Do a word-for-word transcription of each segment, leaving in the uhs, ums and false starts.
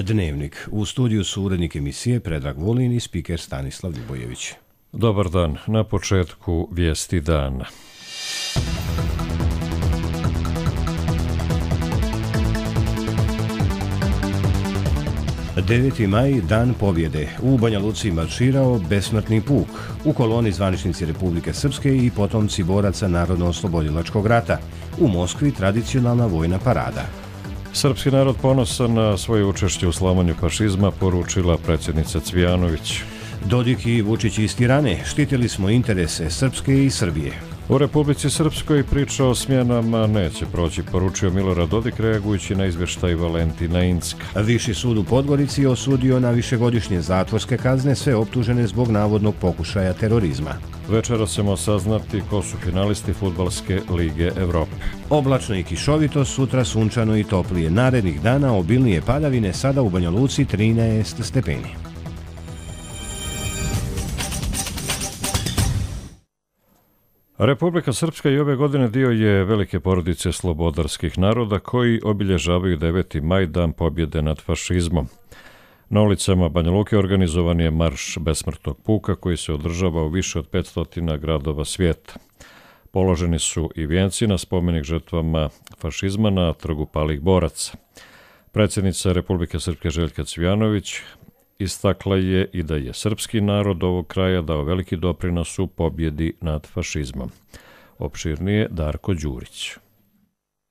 Dnevnik. U studiju su urednik emisije Predrag Vulin i spiker Stanislav Ljubojević. Dobar dan. Na početku vijesti dana. deveti maj, dan pobjede. U Banja Luci marširao besmrtni puk. U koloni zvaničnici Republike Srpske i potomci boraca Narodno-oslobodilačkog rata. U Moskvi tradicionalna vojna parada. Srpski narod ponosan na svoje učešće u slamanju fašizma, poručila predsjednica Cvijanović. Dodik i Vučić iz Tirane. Štitili smo interese Srpske i Srbije. U Republici Srpskoj priča o smjenama neće proći, poručio Milorad Dodik reagujući na izvještaj Valentina Incka. Viši sud u Podgorici osudio na višegodišnje zatvorske kazne sve optužene zbog navodnog pokušaja terorizma. Večera ćemo saznati ko su finalisti Fudbalske lige Evrope. Oblačno i kišovito, sutra sunčano i toplije. Narednih dana obilnije padavine, sada u Banja Luci trinaest stepeni. Republika Srpska i ove godine dio je velike porodice slobodarskih naroda koji obilježavaju deveti maj, dan pobjede nad fašizmom. Na ulicama Banja Luke organizovan je marš besmrtnog puka koji se održava u više od petsto gradova svijeta. Položeni su i vijenci na spomenik žrtvama fašizma na trgu palih boraca. Predsjednica Republike Srpske Željka Cvijanović istakla je i da je srpski narod ovog kraja dao veliki doprinos u pobjedi nad fašizmom. Opširnije Darko Đurić.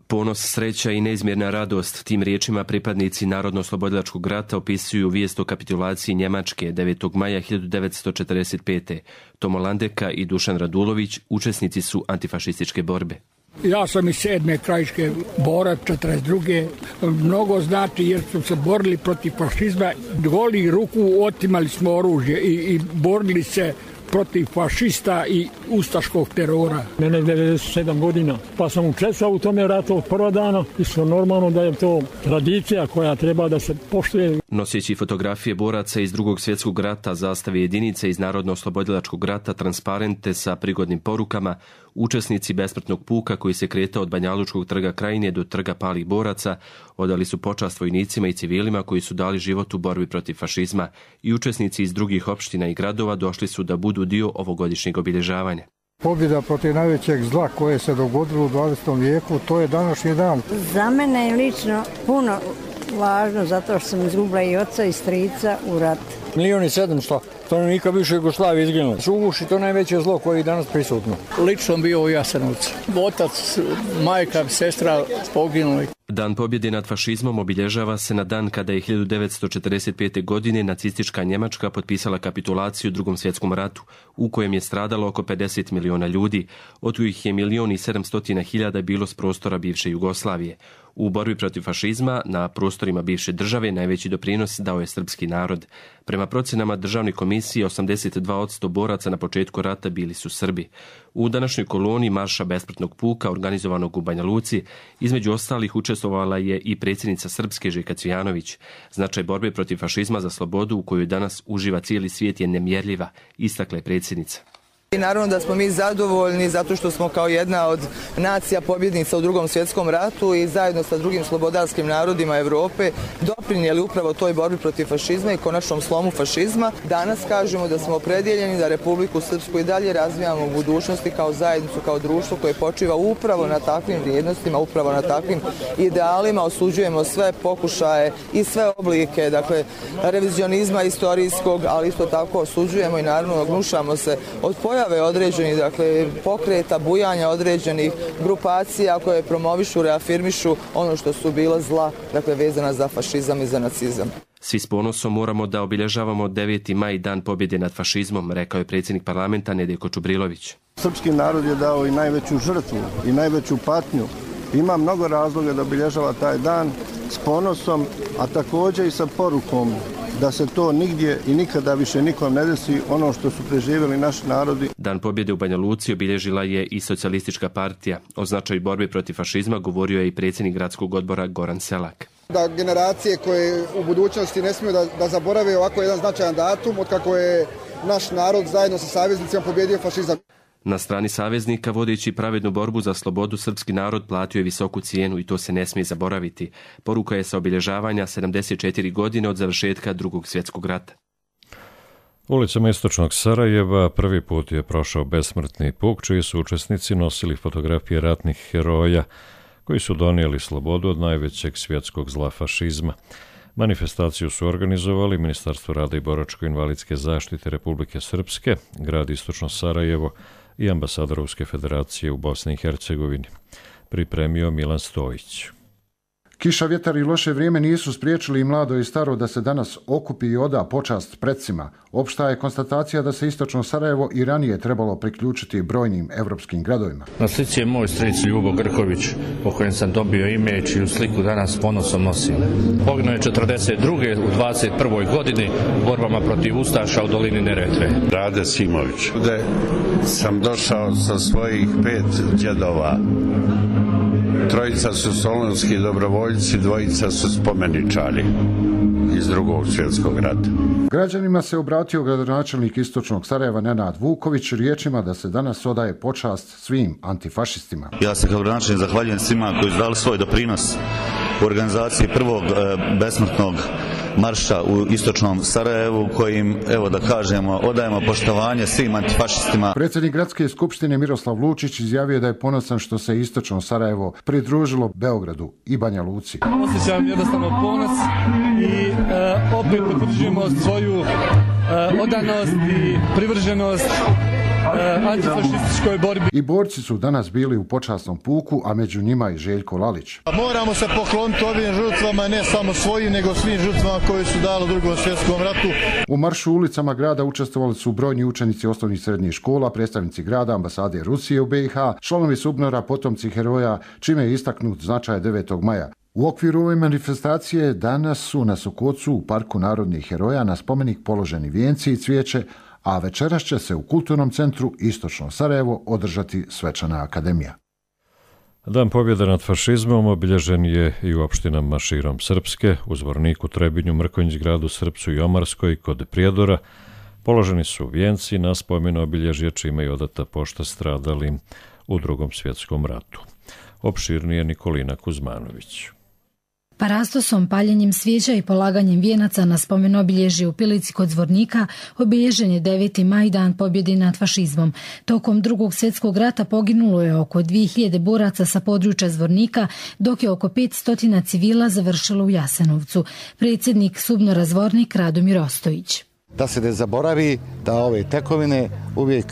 Ponos, sreća i neizmjerna radost, tim riječima pripadnici Narodno-oslobodilačkog rata opisuju vijest o kapitulaciji Njemačke devetog maja hiljadu devetsto četrdeset pete. Tomo Landeka i Dušan Radulović učesnici su antifašističke borbe. Ja sam iz sedme krajiške borac, četrdeset druge Mnogo znači jer su se borili protiv fašizma. Golih ruku otimali smo oružje i, i borili se protiv fašista i ustaškog terora. Mene je devedeset sedam godina, pa sam učestvovao u tome ratu od prva dana i što normalno da je to tradicija koja treba da se poštuje. Noseći fotografije boraca iz drugog svjetskog rata, zastave jedinice iz Narodno-oslobodilačkog rata, transparente sa prigodnim porukama, učesnici besmrtnog puka koji se kretao od Banjalučkog trga Krajine do trga palih boraca odali su počast vojnicima i civilima koji su dali život u borbi protiv fašizma i učesnici iz drugih opština i gradova došli su da budu dio ovogodišnjeg obilježavanja. Pobjeda protiv najvećeg zla koje se dogodilo u dvadesetom vijeku, to je današnji dan. Za mene je lično puno važno zato što sam izgubila i oca i strica u ratu. Milijon i sedamsto stanovnika bivše Jugoslavije izginulo. Suguši, to najveće zlo koje je danas prisutno. Lično bio u Jasenovcu. Otac, majka, sestra poginuli. Dan pobjede nad fašizmom obilježava se na dan kada je hiljadu devetsto četrdeset pete. godine nacistička Njemačka potpisala kapitulaciju u Drugom svjetskom ratu, u kojem je stradalo oko pedeset miliona ljudi, od kojih je milijon i sedamstotina hiljada bilo s prostora bivše Jugoslavije. U borbi protiv fašizma na prostorima bivše države najveći doprinos dao je srpski narod. Prema procjenama državne komisije, osamdeset dva posto boraca na početku rata bili su Srbi. U današnjoj koloni marša besmrtnog puka organizovanog u Banja Luci, između ostalih učestvovala je i predsjednica Srpske Željka Cvijanović. Značaj borbe protiv fašizma za slobodu u kojoj danas uživa cijeli svijet je nemjerljiva, istakla je predsjednica. I naravno da smo mi zadovoljni zato što smo kao jedna od nacija pobjednica u Drugom svjetskom ratu i zajedno sa drugim slobodarskim narodima Europe doprinijeli upravo toj borbi protiv fašizma i konačnom slomu fašizma. Danas kažemo da smo opredjeljeni da Republiku Srpsku i dalje razvijamo u budućnosti kao zajednicu, kao društvo koje počiva upravo na takvim vrijednostima, upravo na takvim idealima. Osuđujemo sve pokušaje i sve oblike, dakle, revizionizma istorijskog, ali isto tako osuđujemo i naravno ognušamo se od pojava određenih, dakle, pokreta, bujanja određenih grupacija koje promovišu, reafirmišu ono što su bila zla, dakle, vezana za fašizam i za nacizam. Svi s ponosom moramo da obilježavamo deveti maj, dan pobjede nad fašizmom, rekao je predsjednik parlamenta Nedeljko Čubrilović. Srpski narod je dao i najveću žrtvu i najveću patnju. Ima mnogo razloga da obilježava taj dan s ponosom, a također i sa porukom da se to nigdje i nikada više nikom ne desi ono što su preživjeli naši narodi. Dan pobjede u Banja Luci obilježila je i socijalistička partija. O značaju borbe protiv fašizma govorio je i predsjednik gradskog odbora Goran Selak. Da generacije koje u budućnosti ne smiju da, da zaborave ovako jedan značajan datum od kako je naš narod zajedno sa saveznicima pobjedio fašizam. Na strani saveznika, vodeći pravednu borbu za slobodu, srpski narod platio je visoku cijenu i to se ne smije zaboraviti. Poruka je sa obilježavanja sedamdeset četiri godine od završetka Drugog svjetskog rata. Ulicama istočnog Sarajeva prvi put je prošao besmrtni puk, čiji su učesnici nosili fotografije ratnih heroja koji su donijeli slobodu od najvećeg svjetskog zla fašizma. Manifestaciju su organizovali Ministarstvo rada i boračko-invalidske zaštite Republike Srpske, grad Istočno Sarajevo i ambasada Ruske federacije u Bosni i Hercegovini. Pripremio Milan Stojić. Kiša, vjetar i loše vrijeme nisu spriječili i mlado i staro da se danas okupi i oda počast predsima. Opšta je konstatacija da se Istočno Sarajevo i ranije trebalo priključiti brojnim evropskim gradovima. Na slici je moj stric Ljubo Grković, po kojem sam dobio ime, čiju sliku danas ponosom nosim. Poginuo je četrdeset druge u dvadeset prvoj godini u borbama protiv Ustaša u dolini Neretve. Rade Simović. Gde sam došao sa svojih pet djedova. Trojica su solunski dobrovoljci, dvojica su spomeničari iz Drugog svjetskog rata. Građanima se obratio gradonačelnik Istočnog Sarajeva Nenad Vuković riječima da se danas odaje počast svim antifašistima. Ja se kao gradonačelnik zahvaljujem svima koji su dali svoj doprinos u organizaciji prvog e, besmrtnog marša u Istočnom Sarajevu, kojim, evo da kažemo, odajemo poštovanje svim antifašistima. Predsjednik gradske skupštine Miroslav Lučić izjavio da je ponosan što se Istočno Sarajevo pridružilo Beogradu i Banja Luci. Osjećam jednostavno ponos i e, opet potvrđujemo svoju e, odanost i privrženost antifašističkoj borbi. I borci su danas bili u počasnom puku, a među njima i Željko Lalić. Moramo se pokloniti ovim žrtvama, ne samo svojim, nego svim žrtvama koji su dali u Drugom svjetskom ratu. U maršu ulicama grada učestvovali su brojni učenici osnovnih i srednjih škola, predstavnici grada, ambasade Rusije u be i ha, članovi SUBNOR-a, potomci heroja, čime je istaknut značaj devetog maja. U okviru ove manifestacije danas su na Sokocu u Parku narodnih heroja na spomenik položeni vijenci i cvijeće, a večeras će se u Kulturnom centru Istočno Sarajevo održati svečana akademija. Dan pobjede nad fašizmom obilježen je i u opštinama širom Srpske, u Zvorniku, Trebinju, Mrkonjić-gradu, Srpcu i Omarskoj, kod Prijedora. Položeni su vijenci na spomen obilježje, čime je odata pošta stradalim u Drugom svjetskom ratu. Opširnije Nikolina Kuzmanović. Parastosom, paljenjem svijeća i polaganjem vijenaca na spomen obilježje u Pilici kod Zvornika obilježen je deveti maj, dan pobjede nad fašizmom. Tokom Drugog svjetskog rata poginulo je oko dvije hiljade boraca sa područja Zvornika, dok je oko petsto civila završilo u Jasenovcu. Predsjednik SUBNOR-a Zvornik Radomir Ostojić. Da se ne zaboravi da ove tekovine uvijek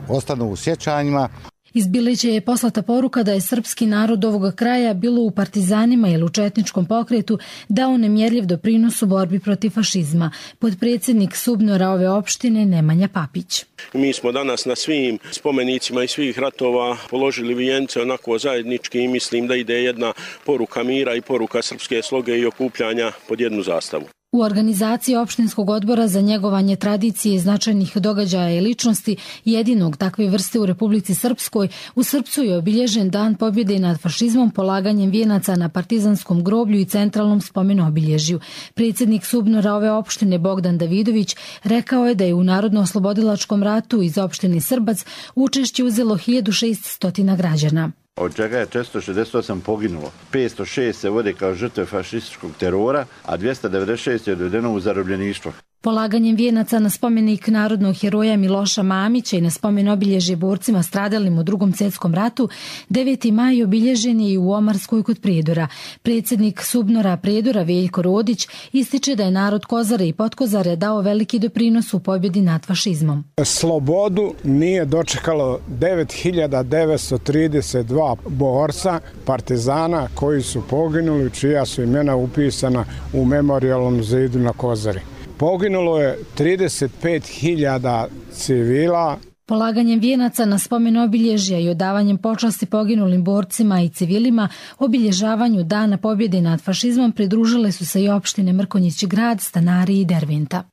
ostanu u sjećanjima. Iz Bilića je poslata poruka da je srpski narod ovoga kraja, bilo u partizanima ili u četničkom pokretu, dao nemjerljiv doprinos u borbi protiv fašizma. Podpredsjednik SUBNOR-a ove opštine Nemanja Papić. Mi smo danas na svim spomenicima i svih ratova položili vijence onako zajednički i mislim da ide jedna poruka mira i poruka srpske sloge i okupljanja pod jednu zastavu. U organizaciji opštinskog odbora za njegovanje tradicije, značajnih događaja i ličnosti, jedinog takve vrste u Republici Srpskoj, u Srpcu je obilježen dan pobjede nad fašizmom polaganjem vijenaca na partizanskom groblju i centralnom spomenu obilježju. Predsjednik SUBNOR-a ove opštine Bogdan Davidović rekao je da je u Narodno-oslobodilačkom ratu iz opštine Srbac učešće uzelo hiljadu šesto građana. Od čega je četiristo šezdeset osam poginulo. petsto šest se vode kao žrtve fašističkog terora, a dvjesto devedeset šest je odvedeno u zarobljeništvo. Polaganjem vijenaca na spomenik narodnog heroja Miloša Mamića i na spomen obilježje borcima stradalim u Drugom svjetskom ratu, deveti maj obilježen je i u Omarskoj kod Prijedora. Predsjednik SUBNOR-a Prijedora Veljko Rodić ističe da je narod Kozare i Potkozare dao veliki doprinos u pobjedi nad fašizmom. Slobodu nije dočekalo devet hiljada devetsto trideset dva borca, partizana koji su poginuli, čija su imena upisana u memorijalnom zidu na Kozari. Poginulo je trideset pet hiljada civila. Polaganjem vijenaca na spomen obilježja i odavanjem počasti poginulim borcima i civilima obilježavanju dana pobjede nad fašizmom pridružile su se i opštine Mrkonjić-grad, Stanari i Derventa.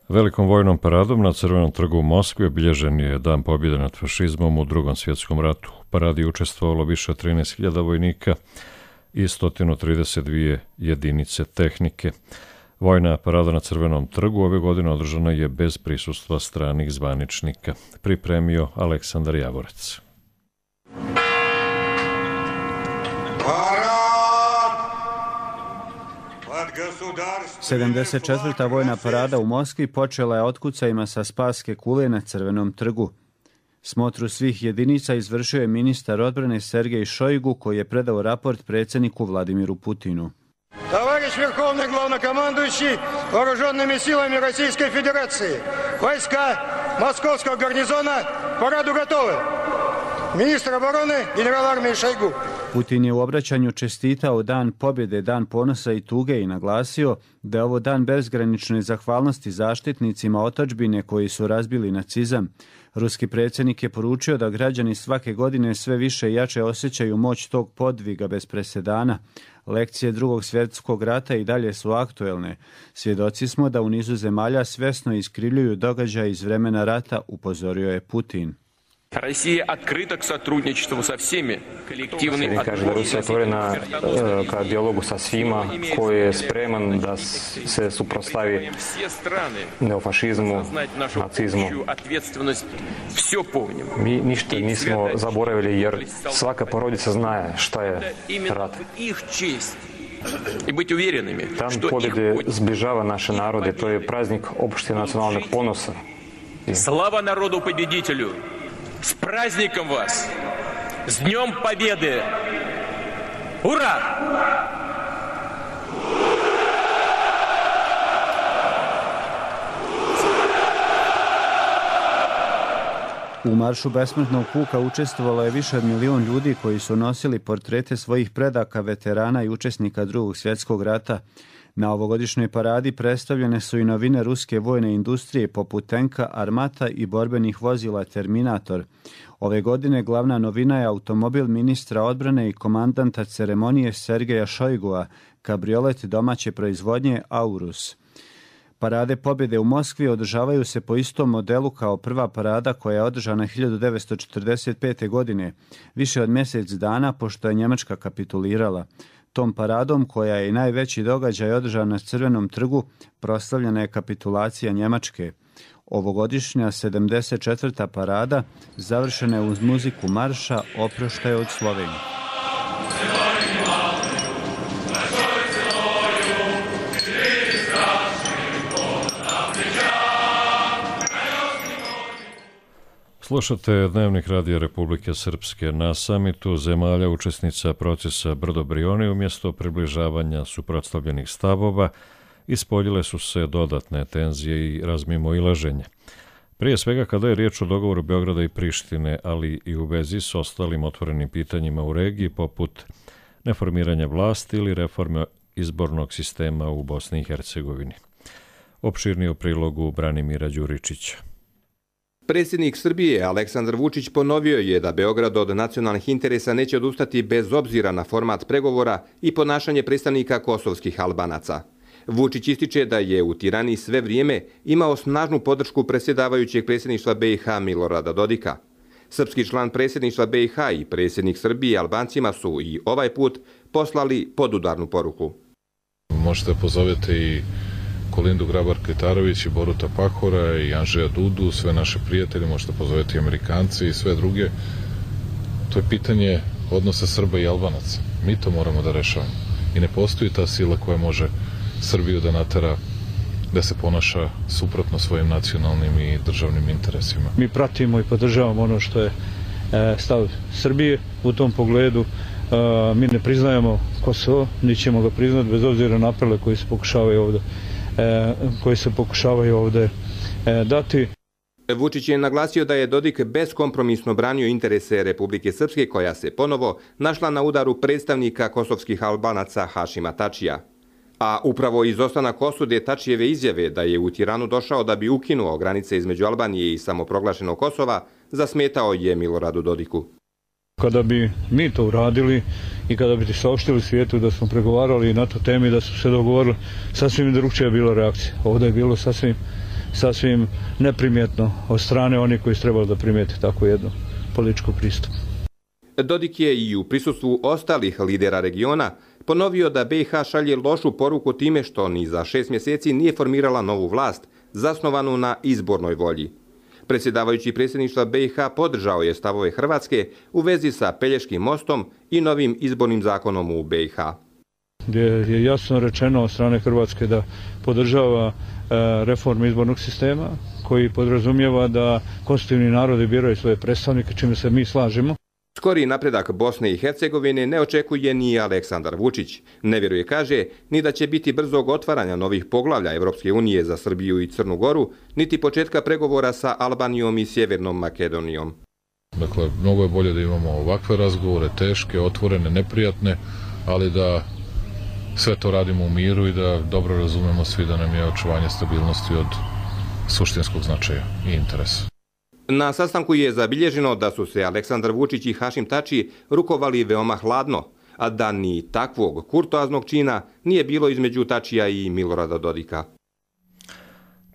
Velikom vojnom paradom na Crvenom trgu u Moskvi obilježen je dan pobjede nad fašizmom u Drugom svjetskom ratu. U paradi učestvovalo više od trinaest hiljada vojnika i sto trideset dvije jedinice tehnike. Vojna parada na Crvenom trgu ove godine održana je bez prisustva stranih zvaničnika. Pripremio Aleksandar Javorac. sedamdeset četvrta vojna parada u Moskvi počela je otkucajima sa Spaske kule na Crvenom trgu. Smotru svih jedinica izvršio je ministar odbrane Sergej Šojgu, koji je predao raport predsjedniku Vladimiru Putinu. Товарищ Верховный Главнокомандующий Вооруженными силами Российской Федерации, войска Московского гарнизона параду готовы. Министр обороны генерал армии Шойгу. Putin je u obraćanju čestitao Dan pobjede, Dan ponosa i tuge i naglasio da je ovo dan bezgranične zahvalnosti zaštitnicima otadžbine koji su razbili nacizam. Ruski predsjednik je poručio da građani svake godine sve više i jače osjećaju moć tog podviga bez presedana. Lekcije Drugog svjetskog rata i dalje su aktuelne. Svjedoci smo da u nizu zemalja svjesno iskrivljuju događaje iz vremena rata, upozorio je Putin. Россия открыта к сотрудничеству со всеми. Коллективный отбор. Kaže da Rusija otvorena ka dijalogu sa svima, koji je spreman da se suprotstavi neofašizmu, nacizmu. Mi ništa nismo zaboravili jer svaka porodica zna šta je rat. Dan pobjede zbližava naše narode, to je praznik opšte nacionalnog ponosa. Slava narodu победителю! С праздником вас! С Днем Победы! Ура! U maršu besmrtnog puka učestvovalo je više od milion ljudi koji su nosili portrete svojih predaka, veterana i učesnika Drugog svjetskog rata. Na ovogodišnjoj paradi predstavljene su i novine ruske vojne industrije poput tenka, armata i borbenih vozila Terminator. Ove godine glavna novina je automobil ministra odbrane i komandanta ceremonije Sergeja Šojgua, kabriolet domaće proizvodnje Aurus. Parade pobjede u Moskvi održavaju se po istom modelu kao prva parada koja je održana hiljadu devetsto četrdeset pete. godine, više od mjesec dana pošto je Njemačka kapitulirala. Tom paradom, koja je i najveći događaj održan na Crvenom trgu, proslavljena je kapitulacija Njemačke. Ovogodišnja sedamdeset četvrta parada završena je uz muziku marša Oproštaj od Slovenije. Slušate Dnevnik Radija Republike Srpske. Na samitu zemalja učesnica procesa Brdo-Brioni umjesto približavanja suprotstavljenih stavova ispoljile su se dodatne tenzije i razmimoilaženje. Prije svega kada je riječ o dogovoru Beograda i Prištine, ali i u vezi s ostalim otvorenim pitanjima u regiji poput neformiranja vlasti ili reforme izbornog sistema u Bosni i Hercegovini. Opširnije u prilogu Branimira Đuričića. Predsjednik Srbije Aleksandar Vučić ponovio je da Beograd od nacionalnih interesa neće odustati bez obzira na format pregovora i ponašanje predstavnika kosovskih Albanaca. Vučić ističe da je u Tirani sve vrijeme imao snažnu podršku predsjedavajućeg predsjedništva B i H Milorada Dodika. Srpski član predsjedništva B i H i predsjednik Srbije Albancima su i ovaj put poslali podudarnu poruku. Možete pozovete i Kolindu Grabar-Kitarović i Boruta Pahora i Andžeja Dudu, sve naše prijatelje, možete pozoveti i Amerikanci i sve druge. To je pitanje odnosa Srba i Albanaca. Mi to moramo da rešavamo. I ne postoji ta sila koja može Srbiju da natera da se ponaša suprotno svojim nacionalnim i državnim interesima. Mi pratimo i podržavamo ono što je stav Srbije u tom pogledu. Mi ne priznajemo Kosovo, ni ćemo ga priznati bez obzira na apele koji se pokušavaju ovdje koji se pokušavaju ovdje dati. Vučić je naglasio da je Dodik beskompromisno branio interese Republike Srpske, koja se ponovo našla na udaru predstavnika kosovskih Albanaca Hašima Tačija. A upravo izostanak osude Tačijeve izjave da je u Tiranu došao da bi ukinuo granice između Albanije i samoproglašenog Kosova zasmetao je Miloradu Dodiku. Kada bi mi to uradili i kada bi saopštili svijetu da smo pregovarali na tu temi, da su se dogovorili, sasvim drugčija je bila reakcija. Ovdje je bilo sasvim, sasvim neprimjetno od strane onih koji su trebali da primijete tako jedno političko pristup. Dodik je i u prisustvu ostalih lidera regiona ponovio da B i H šalje lošu poruku time što ni za šest mjeseci nije formirala novu vlast, zasnovanu na izbornoj volji. Predsjedavajući predsjedništva B i H podržao je stavove Hrvatske u vezi sa Pelješkim mostom i novim izbornim zakonom u B i H. Gdje je jasno rečeno od strane Hrvatske da podržava reformu izbornog sistema koji podrazumijeva da konstitutivni narodi biraju svoje predstavnike, čime se mi slažemo. Skori napredak Bosne i Hercegovine ne očekuje ni Aleksandar Vučić. Ne vjeruje, kaže, ni da će biti brzog otvaranja novih poglavlja Evropske unije za Srbiju i Crnu Goru, niti početka pregovora sa Albanijom i Sjevernom Makedonijom. Dakle, mnogo je bolje da imamo ovakve razgovore, teške, otvorene, neprijatne, ali da sve to radimo u miru i da dobro razumemo svi da nam je očuvanje stabilnosti od suštinskog značaja i interesa. Na sastanku je zabilježeno da su se Aleksandar Vučić i Hašim Tači rukovali veoma hladno, a da ni takvog kurtoaznog čina nije bilo između Tačija i Milorada Dodika.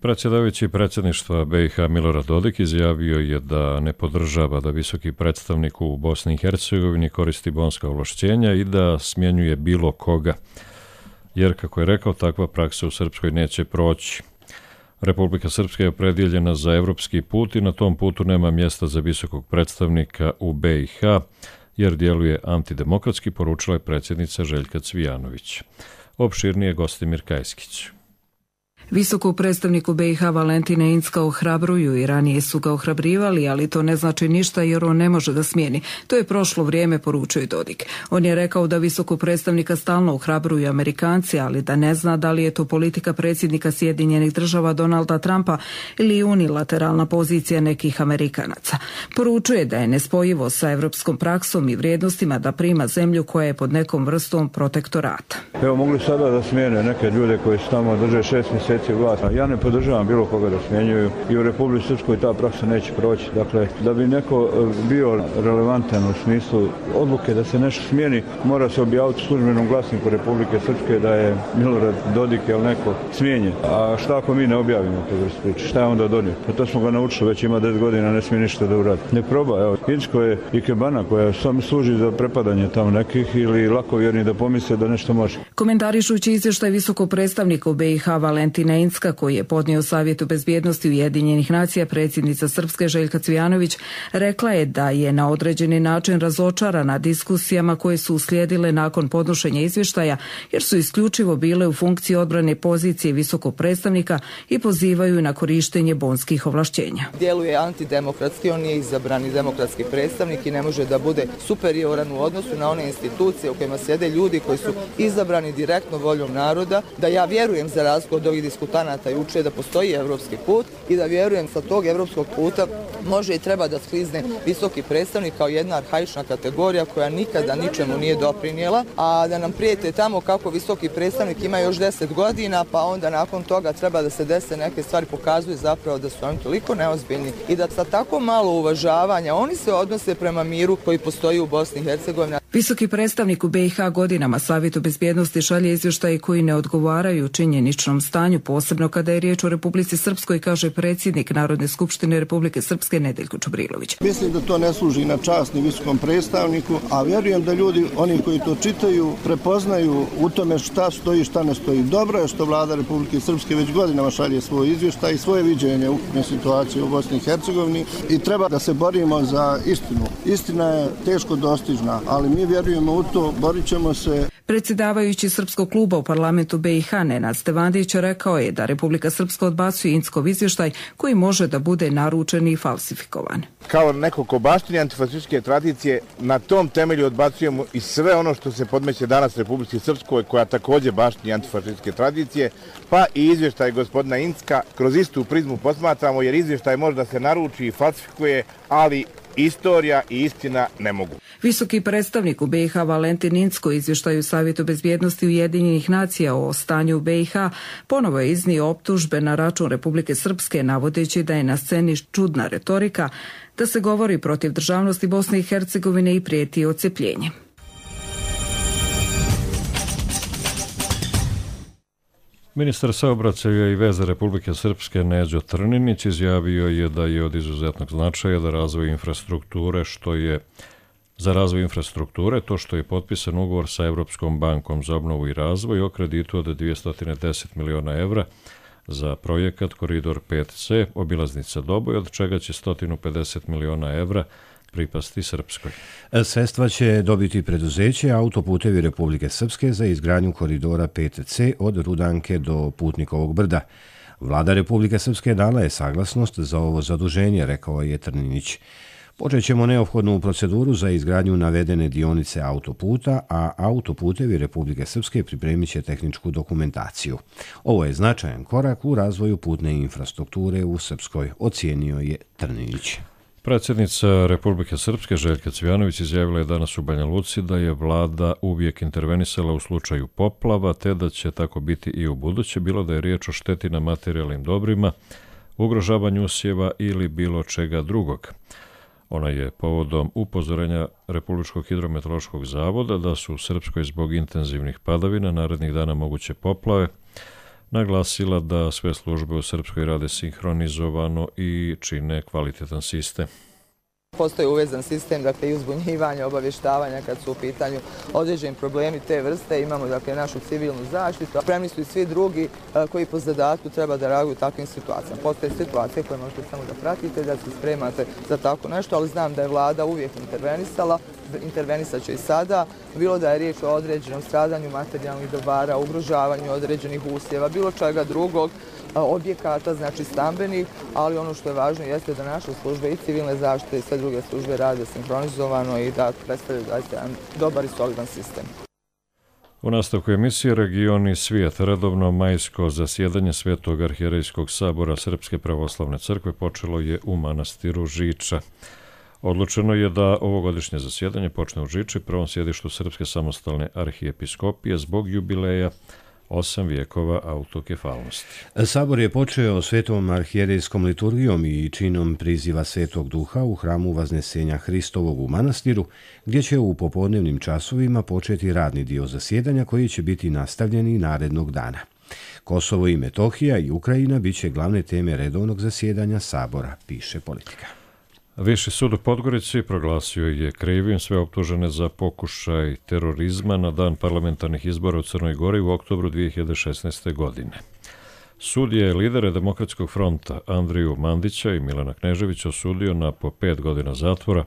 Predsjedavajući predsjedništva B i H Milorad Dodik izjavio je da ne podržava da visoki predstavnik u Bosni i Hercegovini koristi bonska ovlašćenja i da smjenjuje bilo koga, jer, kako je rekao, takva praksa u Srpskoj neće proći. Republika Srpska je opredijeljena za evropski put i na tom putu nema mjesta za visokog predstavnika u B i H, jer djeluje antidemokratski, poručila je predsjednica Željka Cvijanović. Opširnije Gostimir Kajskić. Visoku predstavniku B i H Valentina Incka ohrabruju i ranije su ga ohrabrivali, ali to ne znači ništa jer on ne može da smijeni. To je prošlo vrijeme, poručuje Dodik. On je rekao da visokog predstavnika stalno ohrabruju Amerikanci, ali da ne zna da li je to politika predsjednika Sjedinjenih država Donalda Trumpa ili unilateralna pozicija nekih Amerikanaca. Poručuje da je nespojivo sa evropskom praksom i vrijednostima da prima zemlju koja je pod nekom vrstom protektorata. Evo, mogli sada da smijene neke ljude koji su tamo drže šest mjeseci vlast. Ja ne podržavam bilo koga da smjenjuju i u Republici Srpskoj ta praksa neće proći. Dakle, da bi neko bio relevantan u smislu odluke da se nešto smijeni, mora se objaviti u službenom glasniku Republike Srpske da je Milorad Dodik ili neko smijenjen. A šta ako mi ne objavimo to vrstu priče? Šta je onda donio? Pa to smo ga naučili, već ima deset godina, ne smije ništa da uradi. Ne proba, evo. Inčko je ikebana koja samo služi za prepadanje tamo nekih ili lakovjerni da pomisle da nešto može. Komentarišući izvještaj visokog predstavnika u B i H Valentina Incka, koji je podnio Savjetu bezbjednosti Ujedinjenih nacija, predsjednica Srpske Željka Cvijanović rekla je da je na određeni način razočarana diskusijama koje su uslijedile nakon podnošenja izvještaja, jer su isključivo bile u funkciji odbrane pozicije visokog predstavnika i pozivaju na korištenje bonskih ovlašćenja. Djeluje antidemokratski, on je izabrani demokratski predstavnik i ne može da bude superioran u odnosu na one institucije u kojima sjede ljudi koji su izabrani direktno voljom naroda, da ja vjerujem za razliku od ovih diskutanata juče da postoji evropski put i da vjerujem sa tog evropskog puta može i treba da sklizne visoki predstavnik kao jedna arhaična kategorija koja nikada ničemu nije doprinijela, a da nam prijete tamo kako visoki predstavnik ima još deset godina, pa onda nakon toga treba da se dese neke stvari, pokazuje zapravo da su oni toliko neozbiljni i da sa tako malo uvažavanja oni se odnose prema miru koji postoji u Bosni i Hercegovini. Visoki predstavnik u B i H godinama Savjetu bezbjednosti šalje izvještaje koji ne odgovaraju činjeničnom stanju, posebno kada je riječ o Republici Srpskoj, kaže predsjednik Narodne skupštine Republike Srpske Nedeljko Čubrilović. Mislim da to ne služi na čast ni visokom predstavniku, a vjerujem da ljudi, oni koji to čitaju, prepoznaju u tome šta stoji, šta ne stoji. Dobro je što vlada Republike Srpske već godinama šalje svoj izvještaj i svoje viđenje ukupne situacije u Bosni i Hercegovini i treba da se borimo za istinu. Istina je teško dostižna, ali mi vjerujemo u to, borit ćemo se. Predsjedavajući Srpskog kluba u parlamentu B i H Nenad Stevandić rekao je da Republika Srpska odbacuje Inckov izvještaj koji može da bude naručen i falsifikovan. Kao neko ko baštini antifašističke tradicije, na tom temelju odbacujemo i sve ono što se podmeće danas Republici Srpskoj, koja također baštini antifašističke tradicije, pa i izvještaj gospodina Incka kroz istu prizmu posmatramo, jer izvještaj može da se naruči i falsifikuje, ali istorija i istina ne mogu. Visoki predstavnik u B i H Valentin Incko u izvještaju Savjetu bezbjednosti Ujedinjenih nacija o stanju u B i H ponovo je iznio optužbe na račun Republike Srpske, navodeći da je na sceni čudna retorika, da se govori protiv državnosti Bosne i Hercegovine i prijeti odcepljenje. Ministar saobraćaja i veza Republike Srpske Neđo Trninić izjavio je da je od izuzetnog značaja da razvoj infrastrukture, što je za razvoj infrastrukture, to što je potpisan ugovor sa Evropskom bankom za obnovu i razvoj o kreditu od dvjesto deset miliona evra za projekat Koridor pet ce, obilaznica Doboj, od čega će sto pedeset miliona evra pripasti Srpskoj. Sredstva će dobiti preduzeće Autoputevi Republike Srpske za izgradnju koridora pet ce od Rudanke do Putnikovog brda. Vlada Republike Srpske dala je saglasnost za ovo zaduženje, rekao je Trninić. Počet ćemo neophodnu proceduru za izgradnju navedene dionice autoputa, a Autoputevi Republike Srpske pripremit će tehničku dokumentaciju. Ovo je značajan korak u razvoju putne infrastrukture u Srpskoj, ocijenio je Trninić. Predsjednica Republike Srpske Željka Cvijanović izjavila je danas u Banja Luci da je vlada uvijek intervenisala u slučaju poplava, te da će tako biti i u buduće, bilo da je riječ o šteti na materijalnim dobrima, ugrožavanju usjeva ili bilo čega drugog. Ona je povodom upozorenja Republičkog hidrometeorološkog zavoda da su u Srpskoj zbog intenzivnih padavina narednih dana moguće poplave naglasila da sve službe u Srpskoj rade sinhronizovano i čine kvalitetan sistem. Postoji uvezan sistem, dakle, i uzbunjivanja, obavještavanja kad su u pitanju određeni problemi te vrste. Imamo, dakle, našu civilnu zaštitu. Spremni su i svi drugi koji po zadatku treba da reaguju u takvim situacijama. Postoje situacije koje možete samo da pratite, da se spremate za tako nešto, ali znam da je vlada uvijek intervenisala, intervenisat će i sada. Bilo da je riječ o određenom stradanju materijalnih dobara, ugrožavanju određenih usjeva, bilo čega drugog, objekata, znači stambenih, ali ono što je važno jeste da naše službe i civilne zaštite i sve druge službe rade sinhronizovano i da predstavljaju jedan dobar i solidan sistem. U nastavku emisije Region i svijet, redovno majsko zasjedanje Svetog arhijerejskog sabora Srpske pravoslavne crkve počelo je u manastiru Žiča. Odlučeno je da ovogodišnje zasjedanje počne u Žiči, prvom sjedištu Srpske samostalne arhijepiskopije, zbog jubileja osam vijekova autokefalnosti. Sabor je počeo svetom arhijerejskom liturgijom i činom priziva Svetog Duha u hramu Vaznesenja Hristovog u manastiru, gdje će u popodnevnim časovima početi radni dio zasjedanja koji će biti nastavljeni narednog dana. Kosovo i Metohija i Ukrajina bit će glavne teme redovnog zasjedanja Sabora, piše Politika. Viši sud u Podgorici proglasio je krivim sve optužene za pokušaj terorizma na dan parlamentarnih izbora u Crnoj Gori u oktobru dvije hiljade šesnaeste. godine. Sud je lidere Demokratskog fronta Andriju Mandića i Milana Kneževića osudio na po pet godina zatvora,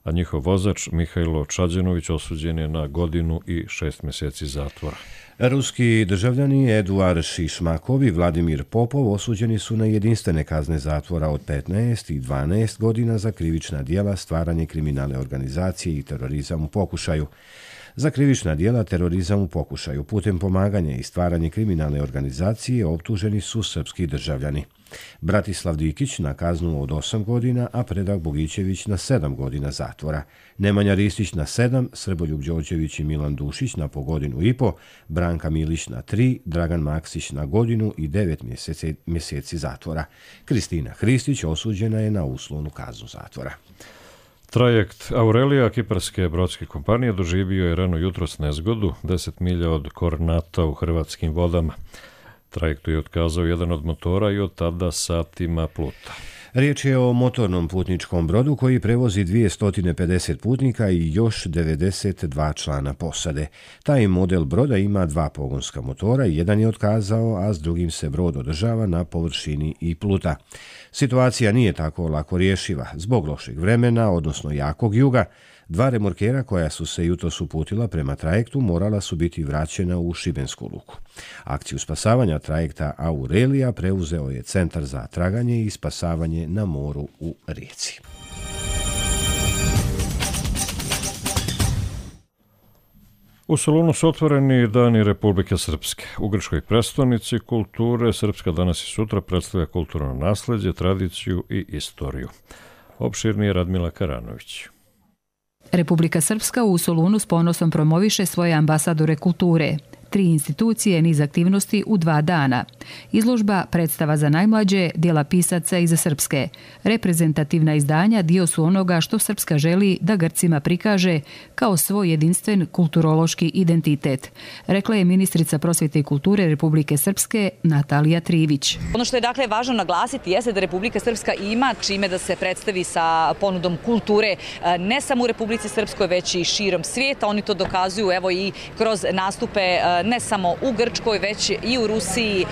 a njihov vozač Mihajlo Čađenović osuđen je na godinu i šest mjeseci zatvora. Ruski državljani Eduard Šišmakov i Vladimir Popov osuđeni su na jedinstvene kazne zatvora od petnaest i dvanaest godina za krivična djela, stvaranje kriminalne organizacije i terorizam u pokušaju. Za krivična djela terorizam u pokušaju putem pomaganja i stvaranje kriminalne organizacije optuženi su srpski državljani. Bratislav Dikić na kaznu od osam godina, a Predrag Bogićević na sedam godina zatvora. Nemanja Ristić na sedam, Srboljub Đorđević i Milan Dušić na po godinu i po, Branka Milić na tri, Dragan Maksić na godinu i devet mjeseci, mjeseci zatvora. Kristina Hristić osuđena je na uslovnu kaznu zatvora. Trajekt Aurelija kiparske brodske kompanije doživio je rano jutros nezgodu deset milja od Kornata u hrvatskim vodama. Trajektu je otkazao jedan od motora i od tada satima pluta. Riječ je o motornom putničkom brodu koji prevozi dvjesto pedeset putnika i još devedeset dva člana posade. Taj model broda ima dva pogonska motora, jedan je otkazao, a s drugim se brod održava na površini i pluta. Situacija nije tako lako rješiva. Zbog lošeg vremena, odnosno jakog juga, dva remorkera koja su se jutros uputila prema trajektu morala su biti vraćena u Šibensku luku. Akciju spasavanja trajekta Aurelija preuzeo je Centar za traganje i spasavanje na moru u Rijeci. U Solunu su otvoreni dani Republike Srpske. U grčkoj prestonici kulture Srpska danas i sutra predstavlja kulturno nasljeđe, tradiciju i istoriju. Opširnije Radmila Karanović. Republika Srpska u Solunu s ponosom promoviše svoje ambasadore kulture. Tri institucije, niz aktivnosti u dva dana. Izložba predstava za najmlađe, djela pisaca i za srpske. Reprezentativna izdanja dio su onoga što Srpska želi da Grcima prikaže kao svoj jedinstven kulturološki identitet, rekla je ministrica prosvjete i kulture Republike Srpske Natalija Trivić. Ono što je dakle važno naglasiti jeste da Republika Srpska ima čime da se predstavi sa ponudom kulture ne samo u Republici Srpskoj već i širom svijeta. Oni to dokazuju evo i kroz nastupe ne samo u Grčkoj već i u Rusiji.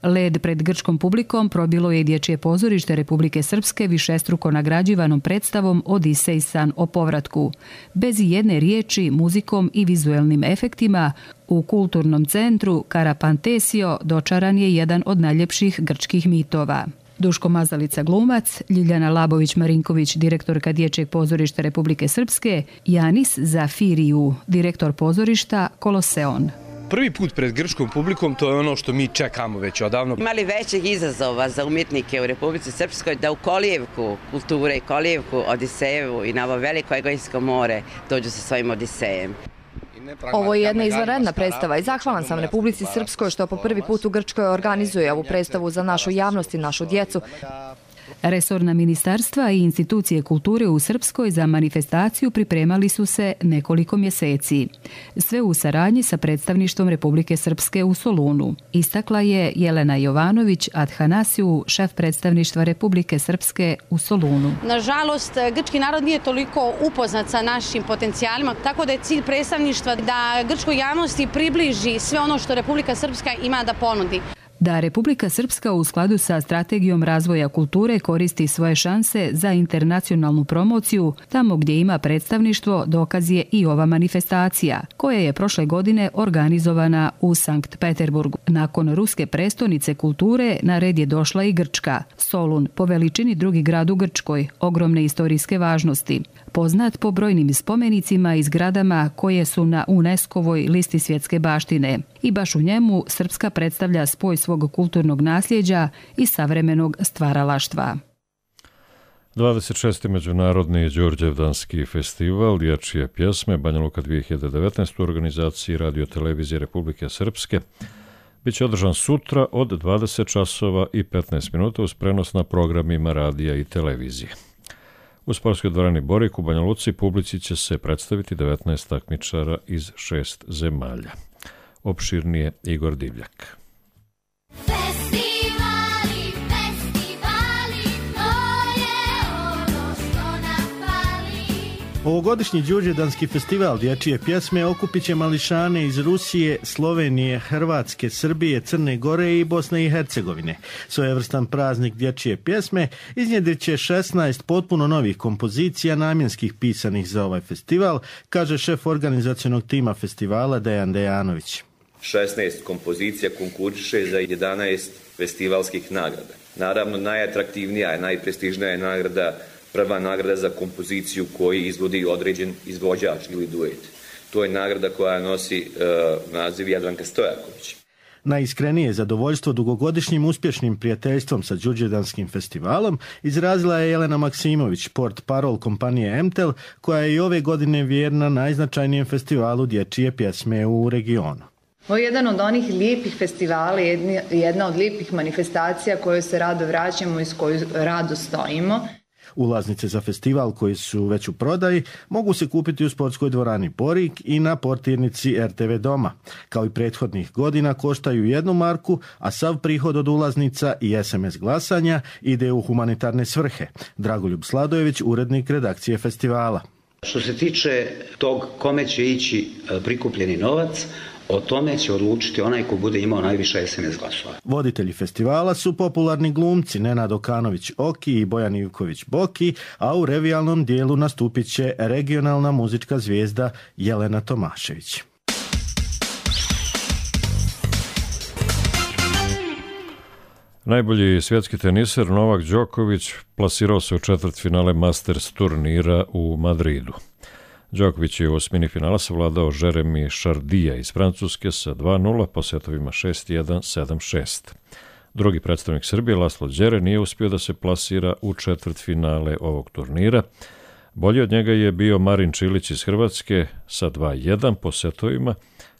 Led pred grčkom publikom probilo je dječje pozorište Republike Srpske višestruko nagrađivanom predstavom Odisej san o povratku. Bez jedne riječi, muzikom i vizuelnim efektima u kulturnom centru Karapantesio dočaran je jedan od najljepših grčkih mitova. Duško Mazalica glumac, Ljiljana Labović-Marinković, direktorka Dječjeg pozorišta Republike Srpske, Janis Zafiriju, direktor pozorišta Koloseon. Prvi put pred grčkom publikom, to je ono što mi čekamo već odavno. Imali većeg izazova za umjetnike u Republici Srpskoj da u kolijevku kulture i kolijevku Odisejevu i na ovo veliko Egejsko more dođu sa svojim Odisejem. Ovo je jedna izvanredna predstava i zahvalan sam Republici Srpskoj što po prvi put u Grčkoj organizuje ovu predstavu za našu javnost i našu djecu. Resorna ministarstva i institucije kulture u Srpskoj za manifestaciju pripremali su se nekoliko mjeseci. Sve u saradnji sa predstavništvom Republike Srpske u Solunu. Istakla je Jelena Jovanović Adhanasiju, šef predstavništva Republike Srpske u Solunu. Nažalost, grčki narod nije toliko upoznat sa našim potencijalima, tako da je cilj predstavništva da grčkoj javnosti približi sve ono što Republika Srpska ima da ponudi. Da Republika Srpska u skladu sa strategijom razvoja kulture koristi svoje šanse za internacionalnu promociju, tamo gdje ima predstavništvo, dokaz je i ova manifestacija, koja je prošle godine organizovana u Sankt Peterburgu. Nakon ruske prestonice kulture na red je došla i Grčka. Solun, po veličini drugi grad u Grčkoj, ogromne istorijske važnosti. Poznat po brojnim spomenicima i zgradama koje su na UNESCO-voj listi svjetske baštine. I baš u njemu Srpska predstavlja spoj svog kulturnog nasljeđa i savremenog stvaralaštva. dvadeset šesti Međunarodni Đurđevdanski festival dječje pjesme Banja Luka dvije hiljade devetnaest u organizaciji Radio televizije Republike Srpske biće održan sutra od dvadeset časova i petnaest minuta uz prenos na programima radija i televizije. U sportskoj dvorani Borik u Banja Luci publici će se predstaviti devetnaest takmičara iz šest zemalja. Opširnije Igor Divljak. Festivali, festivali, to je ono što nam fali. Ovogodišnji Đurđevdanski festival dječje pjesme okupit će mališane iz Rusije, Slovenije, Hrvatske, Srbije, Crne Gore i Bosne i Hercegovine. Svojevrstan praznik dječje pjesme iznjedrit će šesnaest potpuno novih kompozicija namjenskih pisanih za ovaj festival, kaže šef organizacionog tima festivala Dejan Dejanović. šesnaest kompozicija konkuriše za jedanaest festivalskih nagrada. Naravno, najatraktivnija i najprestižnija je nagrada, prva nagrada za kompoziciju koju izvodi određen izvođač ili duet. To je nagrada koja nosi uh, naziv Jadranka Stojaković. Najiskrenije zadovoljstvo dugogodišnjim uspješnim prijateljstvom sa Đurđevdanskim festivalom izrazila je Jelena Maksimović, port parol kompanije Emtel, koja je i ove godine vjerna najznačajnijem festivalu dječje pjesme u regionu. Ovo je jedan od onih lijepih festivala, jedna od lijepih manifestacija koju se rado vraćamo i s koju rado stojimo. Ulaznice za festival koji su već u prodaji mogu se kupiti u sportskoj dvorani Borik i na portirnici er te ve Doma. Kao i prethodnih godina koštaju jednu marku, a sav prihod od ulaznica i es em es glasanja ide u humanitarne svrhe. Dragoljub Sladojević, urednik redakcije festivala. Što se tiče tog kome će ići prikupljeni novac, o tome će odlučiti onaj ko bude imao najviše es em es glasova. Voditelji festivala su popularni glumci Nenad Okanović Oki i Bojan Ivković Boki, a u revijalnom dijelu nastupit će regionalna muzička zvijezda Jelena Tomašević. Najbolji svjetski teniser Novak Đoković plasirao se u četvrtfinale Masters turnira u Madridu. Đoković je u osmini finala savladao Jeremy Chardija iz Francuske sa dva nula po setovima šest jedan, sedam šest. Drugi predstavnik Srbije, Laslo Đere, nije uspio da se plasira u četvrtfinale ovog turnira. Bolji od njega je bio Marin Čilić iz Hrvatske sa dva jedan po setovima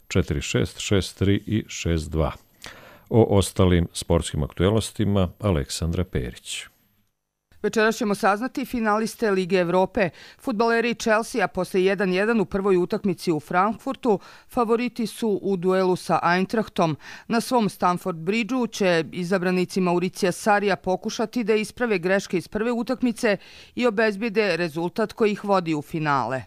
četiri šest šest tri i šest dva. O ostalim sportskim aktuelnostima Aleksandra Perić. Večeras ćemo saznati finaliste Lige Evrope. Fudbaleri Chelsea posle jedan jedan u prvoj utakmici u Frankfurtu favoriti su u duelu sa Eintrachtom. Na svom Stamford Bridgeu će izabranici Mauricija Sarija pokušati da isprave greške iz prve utakmice i obezbijede rezultat koji ih vodi u finale.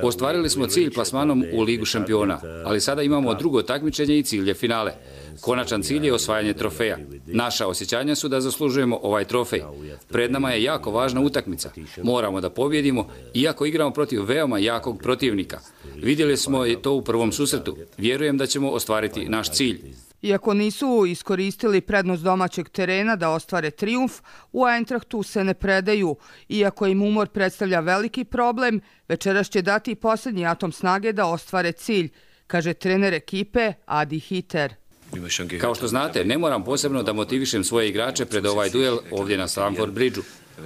Ostvarili smo cilj plasmanom u Ligu šampiona, ali sada imamo drugo takmičenje i cilj je finale. Konačan cilj je osvajanje trofeja. Naša osjećanja su da zaslužujemo ovaj trofej. Pred nama je jako važna utakmica. Moramo da pobjedimo, iako igramo protiv veoma jakog protivnika. Vidjeli smo to u prvom susretu. Vjerujem da ćemo ostvariti naš cilj. Iako nisu iskoristili prednost domaćeg terena da ostvare trijumf, u Eintrachtu se ne predaju. Iako im umor predstavlja veliki problem, večeras će dati posljednji atom snage da ostvare cilj, kaže trener ekipe Adi Hiter. Kao što znate, ne moram posebno da motivišem svoje igrače pred ovaj duel ovdje na Stamford Bridgeu.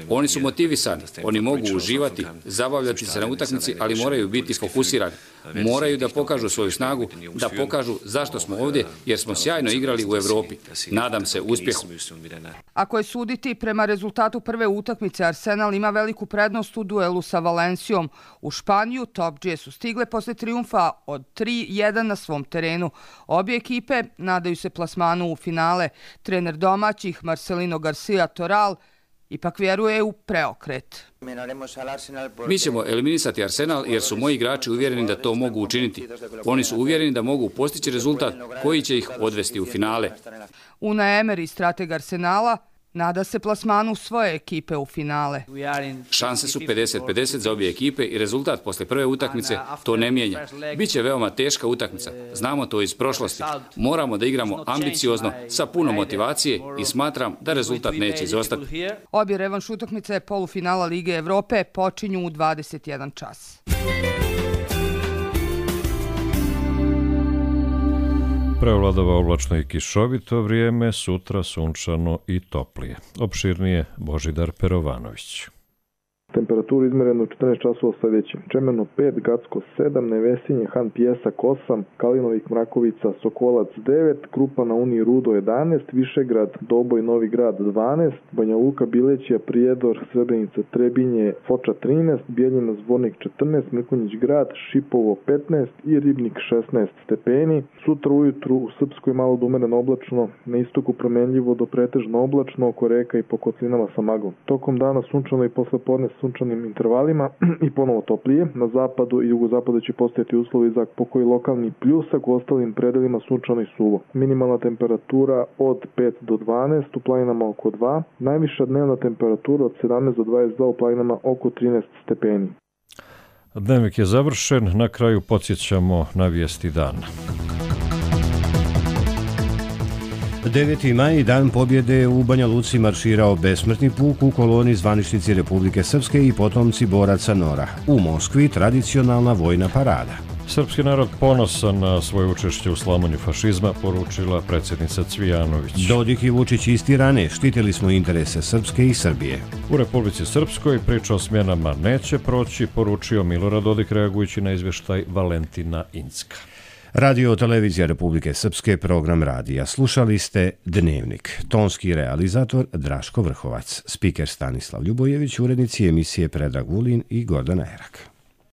Oni su motivisani, oni mogu uživati, zabavljati se na utakmici, ali moraju biti fokusirani. Moraju da pokažu svoju snagu, da pokažu zašto smo ovdje, jer smo sjajno igrali u Evropi. Nadam se uspjehu. Ako je suditi prema rezultatu prve utakmice, Arsenal ima veliku prednost u duelu sa Valencijom. U Španiju topdžije su stigle posle trijumfa od tri jedan na svom terenu. Obje ekipe nadaju se plasmanu u finale. Trener domaćih Marcelino Garcia Toral ipak vjeruje u preokret. Mi ćemo eliminisati Arsenal jer su moji igrači uvjereni da to mogu učiniti. Oni su uvjereni da mogu postići rezultat koji će ih odvesti u finale. Unai Emery, strateg Arsenala, nada se plasmanu svoje ekipe u finale. Šanse su pedeset pedeset za obje ekipe i rezultat posle prve utakmice to ne mijenja. Biće veoma teška utakmica. Znamo to iz prošlosti. Moramo da igramo ambiciozno, sa puno motivacije i smatram da rezultat neće izostati. Obje revanš utakmice polufinala Lige Evrope počinju u dvadeset jedan čas. Prevladava oblačno i kišovito vrijeme, sutra sunčano i toplije. Opširnije Božidar Perovanović. Temperaturu izmerenu u četrnaest časova sljedeće. Čemerno pet, Gacko sedam, Nevesinje, Han Pijesak osam, Kalinovik, Mrakovica, Sokolac devet, Krupa na Uniji, Rudo jedanaest, Višegrad, Doboj, Novi Grad dvanaest, Banja Luka, Bilećija, Prijedor, Srebrenica, Trebinje, Foča trinaest, Bijeljina, Zvornik četrnaest, Mrkonjić Grad, Šipovo petnaest i Ribnik šesnaest stepeni. Sutra ujutru u Srpskoj malo do umereno oblačno, na istoku promenljivo do pretežno oblačno, oko reka i po kotlinama sa maglom. Tokom dana sunčano i posle podne sunčanim intervalima i ponovo toplije. Na zapadu i jugozapadu će postojati uslovi za pokoji lokalni pljusak, u ostalim predelima sunčano i suvo. Minimalna temperatura od pet do dvanaest, u planinama oko dva. Najviša dnevna temperatura od sedamnaest do dvadeset dva, u planinama oko trinaest stepeni. Dnevnik je završen, na kraju podsjećamo na vijesti dana. deveti maj, dan pobjede, u Banja Luci marširao besmrtni puk u koloni zvaničnici Republike Srpske i potomci boraca Nora. U Moskvi tradicionalna vojna parada. Srpski narod ponosan na svoje učešće u slamonju fašizma, poručila predsjednica Cvijanović. Dodik i Vučić istirane, štitili smo interese Srpske i Srbije. U Republici Srpskoj priča o smjenama neće proći, poručio Milorad Dodik reagujući na izvještaj Valentina Incka. Radio televizija Republike Srpske, program radija. Slušali ste Dnevnik. Tonski realizator Draško Vrhovac, spiker Stanislav Ljubojević, urednici emisije Predrag Vulin i Gordana Erak.